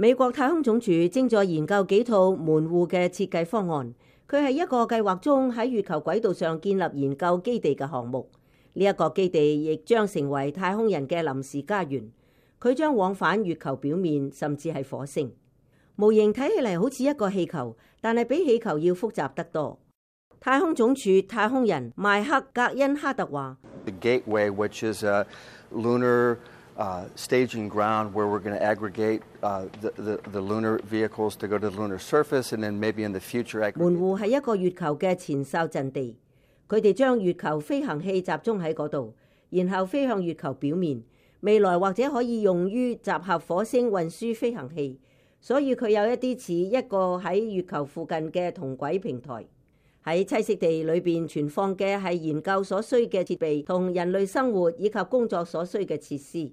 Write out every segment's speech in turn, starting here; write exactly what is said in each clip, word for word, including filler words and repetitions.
美國太空總署正在研究幾套門戶嘅設計方案，佢係一個計劃中喺月球軌道上建立研究基地嘅項目。呢一個基地亦將成為太空人嘅臨時家園，佢將往返月球表面，甚至係火星。模型睇起嚟好似一個氣球，但係比氣球要複雜得多。太空總署太空人邁克格恩哈特話 The Gateway, which is a lunar uh, staging ground where we're going to aggregate uh, the, the, the lunar vehicles to go to the lunar surface, and then maybe in the future aggregate. 門戶係一個月球嘅前哨陣地，佢哋將月球飛行器集中喺嗰度，然後飛向月球表面。未來或者可以用於集合火星運輸飛行器，所以佢有一啲似一個喺月球附近嘅同軌平台。喺棲息地裏邊存放嘅係研究所需嘅設備同人類生活以及工作所需嘅設施。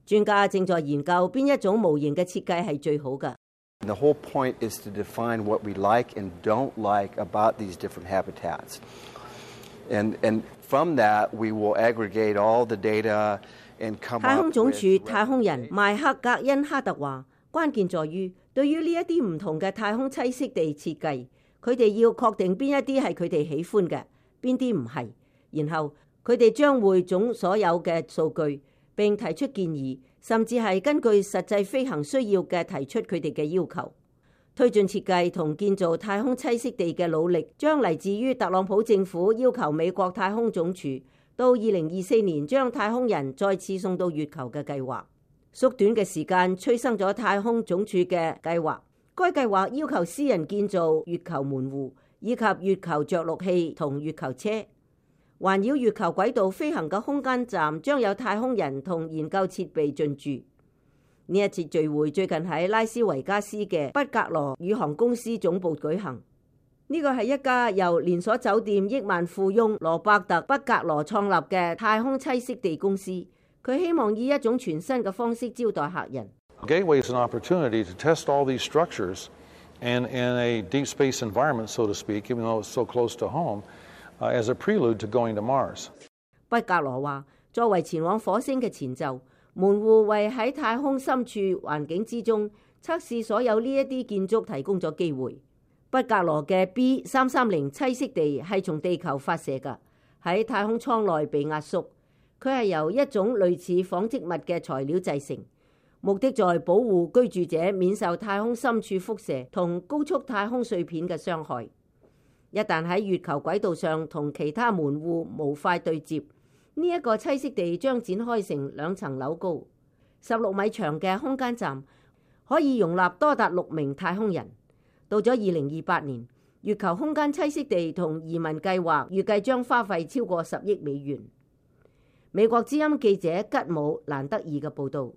專家正在研究邊一種模型嘅設計係最好嘅。The whole point is to define what we like and don't like about these different habitats. And, and from that, we will aggregate all the data and come up with... 太空總署太空人邁克格恩哈特話，關鍵在於對於呢一啲唔同嘅太空棲息地設計，佢哋要確定邊一啲係佢哋喜歡嘅，邊啲唔係，然後佢哋將匯總所有嘅數據，並提出建議，甚至係根據實際飛行需要嘅提出佢哋嘅要求。推進設計同建造太空棲息地嘅努力，將嚟自於特朗普政府要求美國太空總署到二零二四年將太空人再次送到月球嘅計劃。縮短嘅時間催生咗太空總署嘅計劃。該計劃要求私人建造月球門戶，以及月球着陸器同月球車。環繞月球軌道飛行嘅空間站將有太空人同研究設備進駐。呢一次聚會最近喺拉斯維加斯嘅畢格羅宇航公司總部舉行。呢個係一家由連鎖酒店億萬富翁羅伯特畢格羅創立嘅太空棲息地公司。佢希望以一種全新嘅方式招待客人。Gateway is an opportunity to test all these structures and in a deep space environment, so to speak, even though it's so close to home, uh, as a prelude to going to Mars. 畢格羅話，作為前往火星嘅前奏，門戶為喺太空深處環境之中測試所有呢一啲建築提供咗機會。畢格羅嘅 B 三三零棲息地係從地球發射㗎，喺太空艙內被壓縮，佢係由一種類似紡織物嘅材料製成。目的在保護居住者免受太空深處輻射同高速太空碎片嘅傷害。一旦喺月球軌道上同其他門戶模塊對接，呢、這、一個棲息地將展開成兩層樓高、十六米長嘅空間站，可以容納多達六名太空人。到咗二零二八年，月球空間棲息地同移民計劃預計將花費超過十億美元。美國之音記者吉姆蘭德爾嘅報導。